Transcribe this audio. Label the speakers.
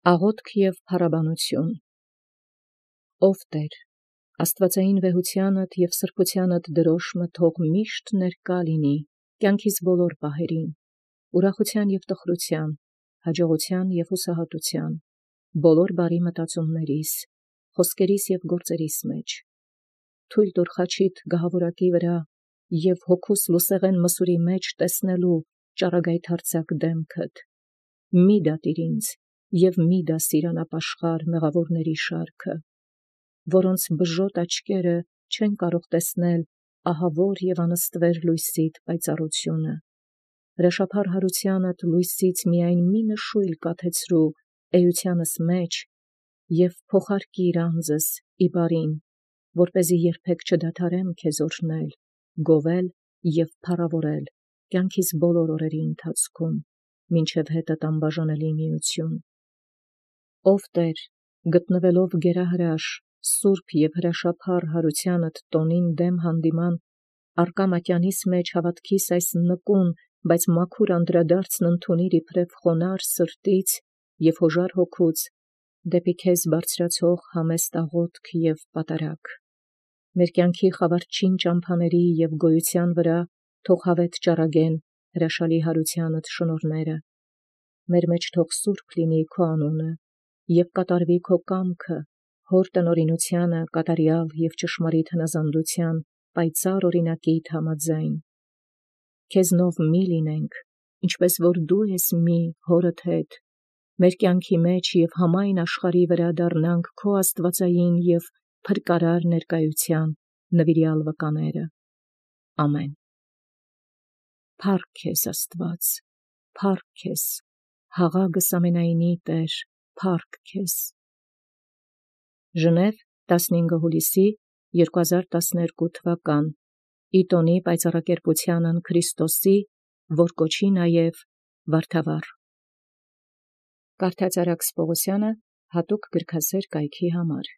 Speaker 1: Աղոթք և փառաբանություն։ Ով Տեր, աստվածային վեհությանդ և սրբությանդ դրոշմը թող միշտ ներկա լինի կյանքիս բոլոր պահերին, ուրախության և տխրության, հաջողության և հուսահատության, բոլոր բարի մտածումներիս, խոսքերիս և գործերիս մեջ։ Թույլ տուր խաչիդ գահավորակի վրա և հոգուս լուսեղեն մսուրի մեջ տեսնելու ճառագայթարձակ դեմքդ։ Մի դատիր ինձ և մի դասիր անապաշխար մեղավորների շարքը, որոնց բժոտ աչքերը չեն կարող տեսնել ահավոր և անըստվեր լույսիդ պայծառությունը։ Հրաշափառ հարությանդ լույսից միայն մի նշույլ կաթեցրու էությանս մեջ և փոխարկիր անձս ի բարին, որպեսզի երբեք չդադարեմ քեզ օրհնել, գովել և փառավորել կյանքիս բոլոր օրերի ընթացքում, մինչև հետդ անբաժանելի միություն։ Ով Տեր, գտնվելով գերահրաշ, սուրբ և հրաշափառ հարությանդ տոնին դեմ հանդիման առկա մատյանիս մեջ հավատքիս այս նկուն, բայց մաքուր անդրադարձն ընդունիր իբրև խոնարհ սրտից և հոժար հոգուց, դեպի քեզ բարձրացող համեստ աղոթք և պատարագ։ Մեր կյանքի խավարչին ճամփաների և գոյության վրա թող հավետ ճառագեն հրաշալի հարությանդ շնորհները։ Մեր մեջ թող սուրբ լինի քո անունը և կատարվի քո կամքը հոր տնօրինությանը կատարյալ և ճշմարիտ հնազանդության պայծառ օրինակիդ համաձայն։ Քեզնով մի լինենք, ինչպես որ դու ես մի հորդ հետ, մեր կյանքի մեջ և համայն աշխարհի վրա դառնանք քո աստվածային և փրկարար ներկայության նվիրյալ վկաները։ Ամեն։ Փառք քեզ Աստված, փառք քեզ, յաղագս ամենայնի Տեր, փառք քեզ։ Ժնև 15 հուլիսի 2012 թվական Իտոնի պայծառակերպությանն Քրիստոսի, որ կոչի նաև Վարդավառ։ Կարդաց Արաքս Պողոսյանը հատուկ գրքասեր կայքի համար։